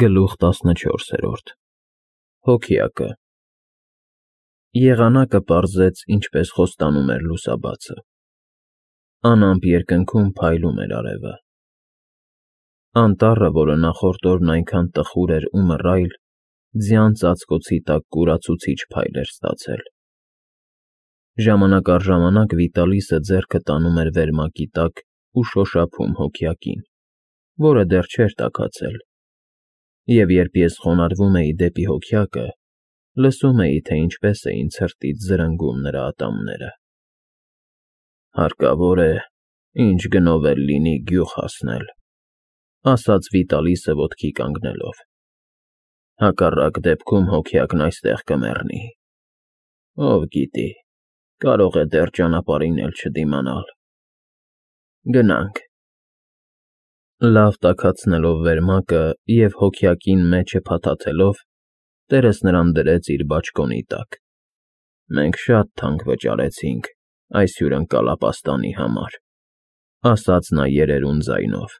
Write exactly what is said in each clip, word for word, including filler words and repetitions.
Գլուխ տասնչորսերորդ Հոգյակը Եղանակը պարզեց, ինչպես խոստանում էր լուսաբացը. անամպ երկնքում փայլում էր արևը։ Անտառը, որը նախորդ օրն այնքան տխուր էր ու մռայլ, ձյան ծածկոցի տակ կուրացուցիչ փայլ էր ստացել։ Ժամանակ առ ժամանակ Վիտալիսը ձեռքը տանում էր վերմակի տակ ու շոշափում հոգյակին, որը դեռ չէր տաքացել, և երբ ես խոնարհվում էի դեպի հոգյակը, լսում էի, թե ինչպես էին ցրտից զրնգում նրա ատամները։ «Հարկավոր է, ինչ գնով էլ լինի, գյուղ հասնել», ասաց Վիտալիսը ոտքի կանգնելով, «հակառակ դեպքում հոգյակն այստեղ կմեռնի։ Ով գիտի, կարող է դեռ ճանապարհին էլ չդիմանալ։ Գնանք»։ Լավ տաքացնելով վերմակը և հոգյակին մեջը փաթաթելով, տերս նրան դրեց իր բաճկոնի տակ։ «Մենք շատ թանկ վճարեցինք այս հյուրընկալապաստանի համար», ասաց նա երերուն ձայնով։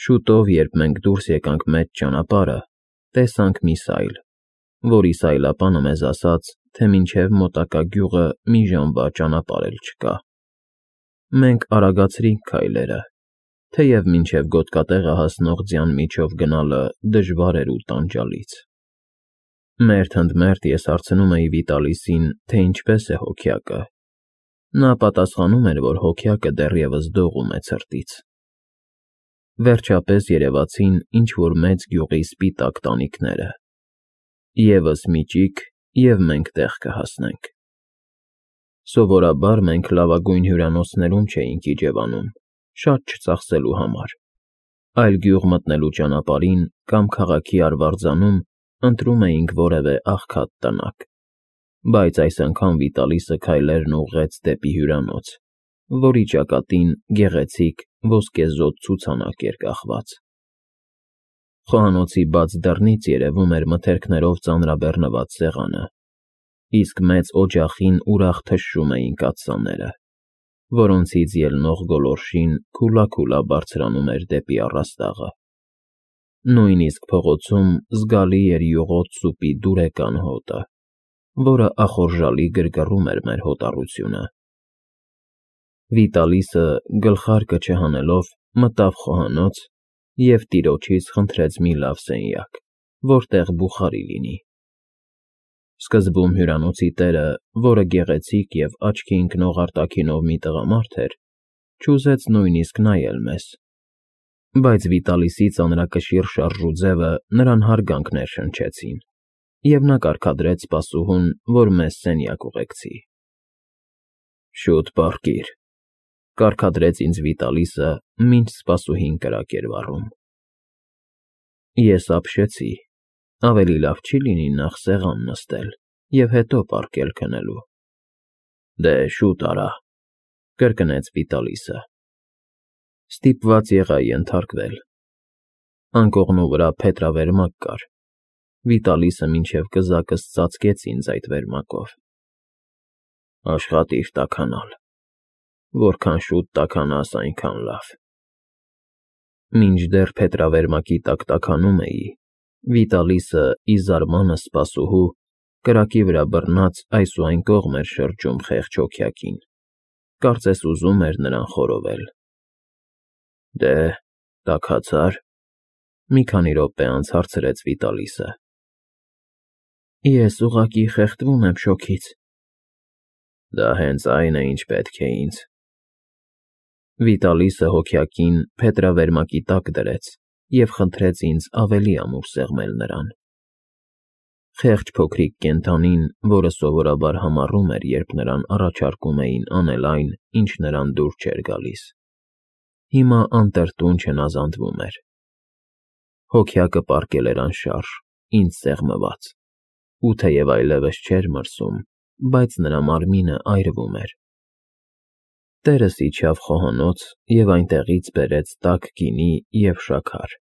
Շուտով, երբ մենք դուրս եկանք մեծ ճանապարհը, տեսանք մի սայլ, որի սայլապանը մեզ ասաց, թե մինչև մոտակա գյուղը մի ժամվա ճանապարհ էլ չկա։ Մենք արագացրինք քայլերը, թեև մինչև գոտկատեղը հասնող ձյան միջով գնալը դժվար էր ու տանջալից։ Մերթ ընդ մերթ ես հարցնում էի Վիտալիսին, թե ինչպես է հոգյակը։ Նա պատասխանում էր, որ հոգյակը դեռևս դողում է ցրտից։ Վերջապես երևացին ինչ-որ մեծ գյուղի սպիտակ տանիքները։ Եվս մի ճիգ, և մենք տեղ կհասնենք։ Սովորաբար մենք լավագույն հյուրանոցներում չէինք իջևանում, շատ չծախսելու համար, այլ գյուղ մտնելու ճանապարհին կամ քաղաքի արվարձանում ընտրում էինք որևէ աղքատ տնակ, բայց այս անգամ Վիտալիսը քայլերն ուղղեց դեպի հյուրանոց, որի ճակատին գեղեցիկ ոսկեզօծ ցուցանակ էր կախված։ Խոհանոցի բաց դռնից երևում էր մթերքներով ծանրաբեռնված սեղանը, իսկ մեծ օջախին ուրախ թշշում էին կաթսաները, որոնցից ելնող գոլորշին քուլաքուլա բարձրանում էր դեպի առաստաղը։ Նույնիսկ փողոցում զգալի էր յուղոտ սուպի դուրեկան հոտը, որը ախորժալի գրգռում էր մեր հոտառությունը։ Վիտալիսը, գլխարկը չհանելով, մտավ խոհանոց և տիրոջից խնդրեց մի լավ սենյակ, որտեղ բուխարի լինի։ Սկզբում հյուրանոցի տերը, որը գեղեցիկ և աչքի ընկնող արտաքինով մի տղամարդ էր, չուզեց նույնիսկ նայել մեզ, բայց Վիտալիսի ծանրակշիռ շարժու ձևը նրան հարգանք ներշնչեցին, և նա կարգադրեց սպասուհուն, որ մեզ սենյակ ուղեկցի։ «Շուտ պառկիր», կարգադրեց ինձ Վիտալիսը, մինչ սպասուհին կրակ էր վառում։ Ես ապշեցի, ավելի լավ չի՞ լինի նախ սեղան նստել և հետո պառկել քնելու։ «Դե, շուտ արա», կրկնեց Վիտալիսը։ Ստիպված եղա ենթարկվել։ Անկողնու վրա փետրավերմակ կար։ Վիտալիսը մինչև կզակս ծածկեց ինձ այդ վերմակով։ «Աշխատիր տաքանալ, որքան շուտ տաքանաս, այնքան լավ»։ Մինչդեռ փետրավերմակի տակ տաքանում էի, Վիտալիսը, ի զարմանս սպասուհու, կրակի վրա բռնած այս ու այն կողմ էր շրջում խեղճ հոգյակին, կարծես ուզում էր նրան խորովել։ «Դե, տաքացա՞ր», մի քանի րոպե անց հարցրեց Վիտալիսը։ «Ես ուղղակի խեղդվում եմ շոգից»։ «Դա հենց այն է, ինչ պետք է ինձ»։ Վիտալիսը հոգյակին փետրավերմակի տակ դրեց և խնդրեց ինձ ավելի ամուր սեղմել նրան։ Խեղճ փոքրիկ կենդանին, որը սովորաբար համառում էր, երբ նրան առաջարկում էին անել այն, ինչ նրան դուր չէր գալիս, հիմա անտրտուն չնազանդվում էր։ Հոգյակը պառկել էր անշարժ, ինձ սեղմված, ու թեև այլևս չէր մրսում, բայց նրա մարմինը այրվում էր։ Տերս իջավ խոհանոց և այնտեղից բերեց տաք գինի և շաքար։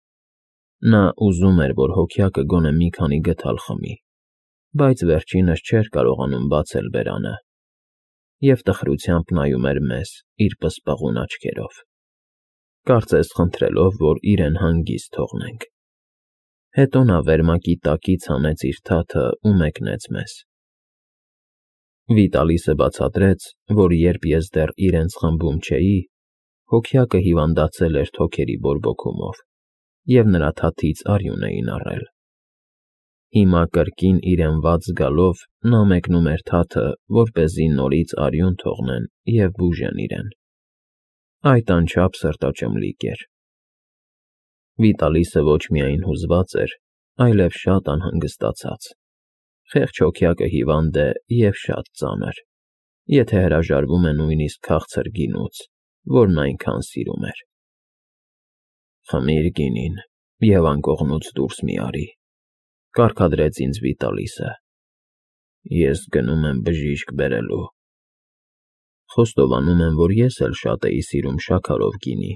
Նա ուզում էր, որ հոգյակը գոնե մի քանի գդալ խմի, բայց վերջինս չէր կարողանում բացել բերանը և տխրությամբ նայում էր մեզ իր պսպղուն աչքերով, կարծես խնդրելով, որ իրեն հանգիստ թողնենք։ Հետո նա վերմակի տակից հանեց իր թաթը ու մեկնեց մեզ։ Վիտալիսը բացատրեց, որ երբ ես դեռ իրենց խմբում չէի, հոգյակը հիվանդացել էր թոքերի բորբոքումով, և նրա թաթից արյուն էին առել։ Հիմա կրկին իրեն վատ զգալով նա մեկնում էր թաթը, որպեսզի նորից արյուն թողնեն և բուժեն իրեն։ Այդ անչափ սրտաճմլիկ էր։ Վիտալիսը ոչ միայն հուզված էր, այլև շատ անհանգստացած։ Խեղճ հոգյակը հիվանդ է և շատ ծանր, եթե հրաժարվում է նույնիսկ քաղցր գինուց, որն այնքան սիրում էր։ «Խմիր գինին և անկողնուց դուրս մի արի», կարգադրեց ինձ Վիտալիսը։ «Ես գնում եմ բժիշկ բերելու»։ Խոստովանում եմ, որ ես էլ շատ էի սիրում շաքարով գինի,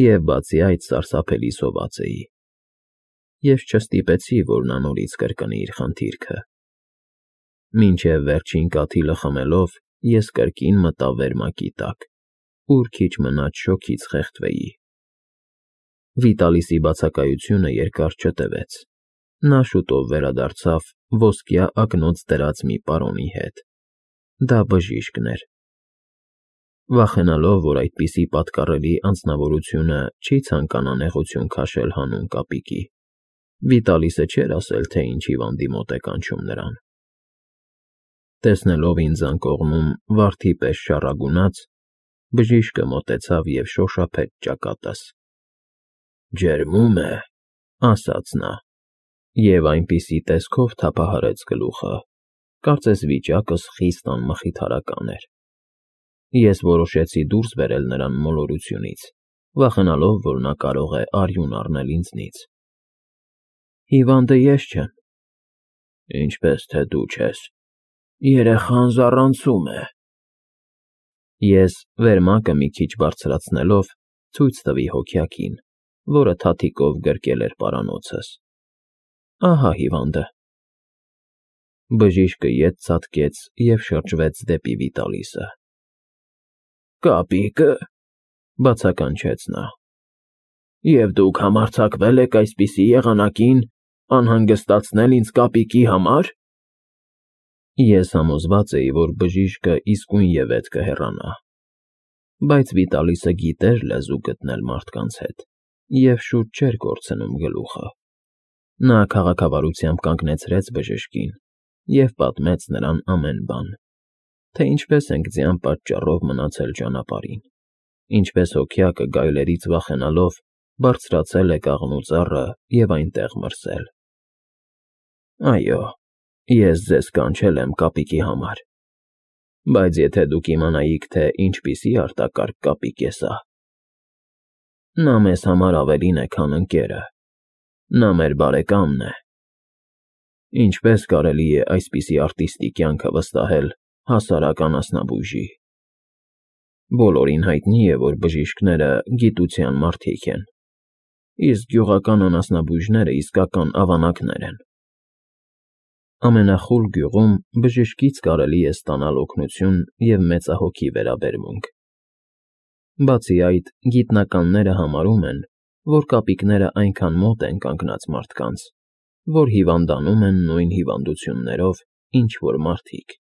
և բացի այդ սարսափելի սոված էի։ Ես չստիպեցի, որ նա նորից կրկնի իր խնդիրքը։ Մինչև վերջին կաթիլը խմելով ես կրկին մտա վերմակի տակ, ուր քիչ մնաց շոգից խեղդվեի։ Վիտալիսի բացակայությունը երկար չտևեց։ Նա շուտով վերադարձավ ոսկյա ակնոց դրած մի պարոնի հետ։ Դա բժիշկն էր։ Վախենալով, որ այդպիսի պատկառելի անձնավորությունը չի ցանկանա նեղություն քաշել հանուն կապիկի, Վիտալիսը չէր ասել, թե ինչ հիվանդի մոտ է կանչում նրան։ Տեսնելով ինձ անկողնում վարդի պես շառագունած, բժիշկը մոտեցավ և շոշափեց ճակատս։ «Ջերմում է», ասաց նա, և այնպիսի տեսքով թափահարեց գլուխը, կարծես վիճակս խիստ անմխիթարական էր։ Ես որոշեցի դուրս բերել նրան մոլորությունից, վախենալով, որ նա կարող է արյուն առնել ինձնից։ «Հիվանդը ես չեմ»։ «Ինչպես թե դու չես, երեխան զառանցում է»։ Ես, վերմակը մի քիչ բարձրացնելով, ցույց տվի հոգյակին, որը թաթիկով գրկել էր պարանոցս։ «Ահա հիվանդը»։ Բժիշկը ետ ցատկեց և շրջվեց դեպի Վիտալիսը։ «Կապիկը», բացականչեց նա։ «Եվ դուք համարձակվել եք այսպիսի եղանակին անհանգստացնել ինձ կապիկի համար»։ Ես համոզված էի, որ բժիշկը իսկույնևեթ կհեռանա։ Բայց Վիտալիսը գիտեր լեզու գտնել մարդկանց հետ և շուտ չէր կորցնում գլուխը։ Նա քաղաքավարությամբ կանգնեցրեց բժշկին և պատմեց նրան ամեն բան, թե ինչպես ենք ձյան պատճառով մնացել ճանապարհին, ինչպես հոգյակը գայլերից վախենալով բարձրացել է կաղնու ծառը և այնտեղ մրսել։ «Այո, ես ձեզ կանչել եմ կապիկի համար, բայց եթե դուք իմանայիք, թե ինչպիսի արտակարգ կապիկ է սա։ Նա մեզ համար ավելին է, քան ընկերը, նա մեր բարեկամն է։ Ինչպես կարելի է այսպիսի արտիստի կյանքը վստահել հասարակ անասնաբույժի։ Բոլորին հայտնի է, որ բժիշկները գիտության մարդիկ են, իսկ գյուղական անասնաբույժները իսկական ավանակներ են։ Ամենախուլ գյուղում բժշկից կարելի է ստանալ օգնություն և մեծահոգի վերաբերմունք։ Բացի այդ, գիտնականները համարում են, որ կապիկները այնքան մոտ են կանգնած մարդկանց, որ հիվանդանում են նույն հիվանդություններով, ինչ որ մարդիկ։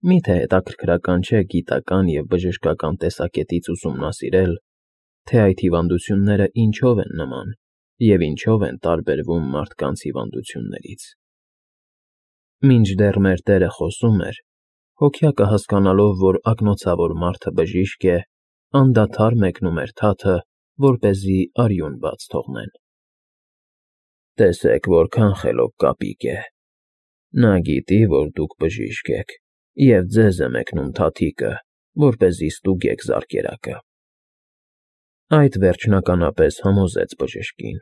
Մի՞թե հետաքրքրական չէ գիտական և բժշկական տեսակետից ուսումնասիրել, թե այդ հիվանդությունները ինչով են նման և ինչով են տարբերվում մարդկանց հիվանդություններից։ Մինչդեռ մեր Տերը խոսում էր, հոգյակը հասկանալով, որ ակնոցավոր մարդը բժիշկ է, անդադար մեկնում էր թաթը, որպեսզի արյուն բաց թողնեն։ Տեսեք, որքան խելոք կապիկ է։ Նա գիտի, որ դուք բժիշկ եք, և ձեզ է մեկնում թաթիկը, որպեսզի ստուգեք զարկերակը։ Այդ վերջնականապես համոզեց բժշկին։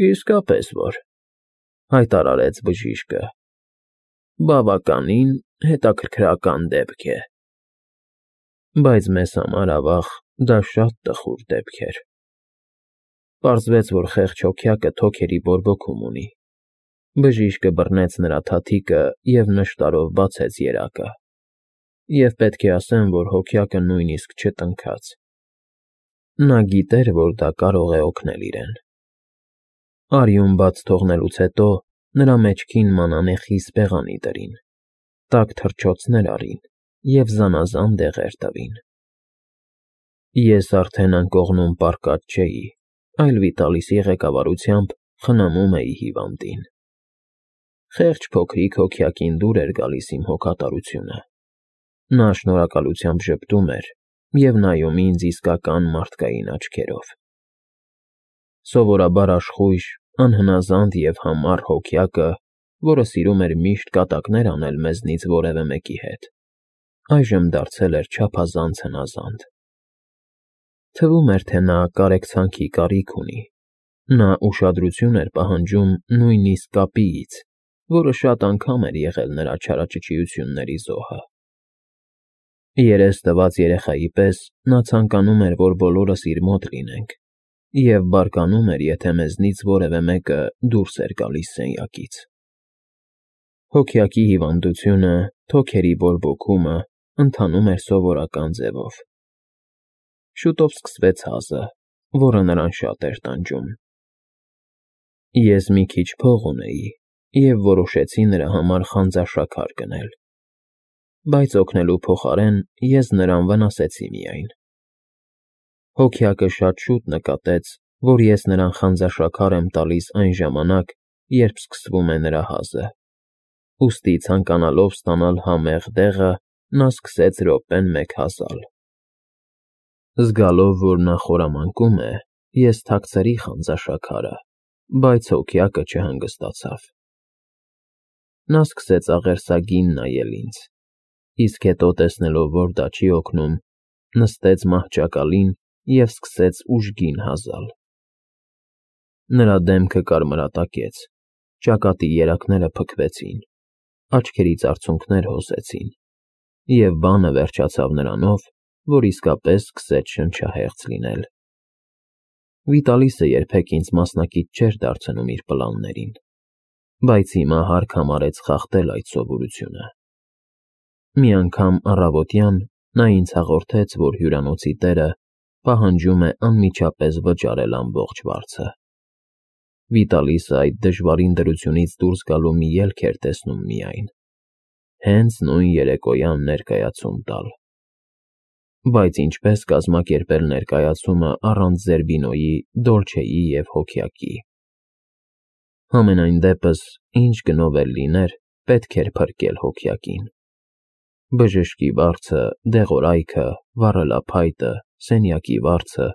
Իսկապես որ, հայտարարեց բժիշկը, բավականին հետաքրքրական դեպք է։ Բայց մեզ համար, ավաղ, դա շատ տխուր դեպք էր։ Պարզվեց, որ խեղճ հոգյակը թոքերի բորբոքում ունի։ Բժիշկը բռնեց նրա թաթիկը և նշտարով բացեց երակը։ Եվ պետք է ասեմ, որ հոգյակը նույնիսկ չտնքաց։ Նա գիտեր, որ դա կարող է օգնել իրեն։ Արյուն բաց թողնելուց հետո նրա մեջքին մանանեխի սպեղանի դրին, տաք թռչոցներ արին և զանազան դեղեր տվին։ Ես արդեն անկողնում պառկած չէի, այլ Վիտալիսի ղեկավարությամբ խնամում էի հիվանդին։ Խեղճ փոքրիկ հոգյակին դուր էր գալիս իմ հոգատարությունը։ Նա շնորհակալությամբ ժպտում էր և նայում ինձ իսկական մարդկային աչքերով։ Սովորաբար աշխույժ, անհնազանդ և համառ հոգյակը, որը սիրում էր միշտ կատակներ անել մեզնից որևէ մեկի հետ, այժմ դարձել էր չափազանց հնազանդ։ Թվում էր, թե նա կարեկցանքի կարիք ունի։ Նա ուշադրություն էր պահանջում նույնիսկ կապիից, որը շատ անգամ էր եղել նրա չարաճճիությունների զոհը։ Երես տված երեխայի պես նա ցանկանում էր, որ բոլորս իր մոտ լինենք, և բարկանում էր, եթե մեզնից որևէ մեկը դուրս էր գալիս սենյակից։ Հոգյակի հիվանդությունը, թոքերի բորբոքումը ընթանում էր սովորական ձևով։ Շուտով սկսվեց հազը, որը նրան շատ էր տանջում։ Ես մի քիչ փող ունեի և որոշեցի նրա համար խանձաշաքար գնել, բայց օգնելու փոխարեն ես նրան վնասեցի միայն։ Հոգյակը շատ շուտ նկատեց, որ ես նրան խանձաշաքար եմ տալիս այն ժամանակ, երբ սկսվում է նրա հազը, ուստի ցանկանալով ստանալ համեղ դեղը, նա սկսեց րոպեն մեկ հազալ։ Զգալով, որ նա խորամանկում է, ես թաքցրի խանձաշաքարը, բայց հոգյակը չհանգստացավ։ Նա սկսեց աղերսագին նայել ինձ, իսկ հետո, տեսնելով, որ դա չի օգնում, նստեց մահճակալին և սկսեց ուժգին հազալ։ Նրա դեմքը կարմրատակեց, ճակատի երակները փքվեցին, աչքերից արցունքներ հոսեցին, և բանը վերջացավ նրանով, որ իսկապես սկսեց շնչահեղձ լինել։ Վիտալիսը երբեք ինձ մասնակից չէր դարձնում իր պլաններին, բայց հիմա հարկ համարեց խախտել այդ սովորությունը։ Մի անգամ առավոտյան նա ինձ հաղորդեց, որ հյուրանոցի տերը պահանջում է անմիջապես վճարել ամբողջ վարձը։ Վիտալիսը այդ դժվարին դրությունից դուրս գալու մի ելք էր տեսնում միայն՝ հենց նույն երեկոյան ներկայացում տալ։ Բայց ինչպե՞ս կազմակերպել ներկայացումը առանց Զերբինոյի, Դոլչեի և հոգյակի։ Համենայն դեպս, ինչ գնով էլ լիներ, պետք էր փրկել հոգյակին։ Բժշկի վարձը, դեղորայքը, վառելափայտը, սենյակի վարձը,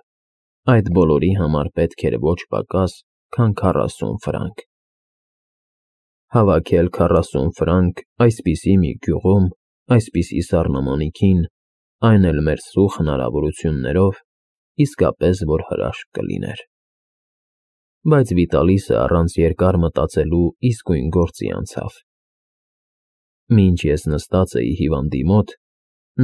այդ բոլորի համար պետք էր ոչ պակաս, քան քառասուն ֆրանկ։ Հավաքել քառասուն ֆրանկ այսպիսի մի գյուղում, այսպիսի սառնամանիքին, այն էլ մեր սուղ հնարավորություններով, իսկապես որ հրաշք կլիներ։ Բայց Վիտալիսը առանց երկար մտածելու իսկույն գործի անցավ։ Մինչ ես նստած էի հիվանդի մոտ,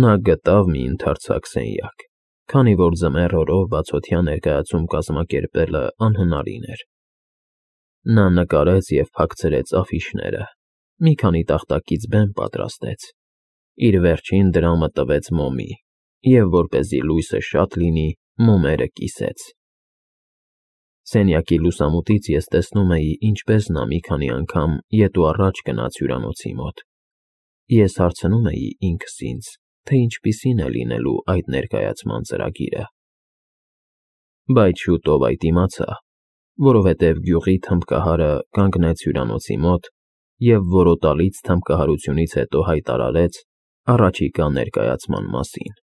նա գտավ մի ընդարձակ սենյակ, քանի որ ձմեռ օրով բացօթյա ներկայացում կազմակերպելը անհնարին էր։ Նա նկարեց և փակցրեց աֆիշները, մի քանի տախտակից բեմ պատրաստեց, իր վերջին դրամը տվեց մոմի և, որպեսզի լույսը շատ լինի, մոմերը կիսեց։ Սենյակի լուսամուտից ես տեսնում էի, ինչպես նա մի քանի անգամ ետ ու առաջ գնաց հյուրանոցի մոտ։ Ես հարցնում էի ինքս ինձ, թե ինչպիսին է լինելու այդ ներկայացման ծրագիրը։ Բայց շուտով այդ իմացա, որովհետև գյուղի թմբկահարը կանգնեց հյուրանոցի մոտ և որոտալից թմբկահարությունից հետո հայտարարեց առաջիկա ներկայացման մասին։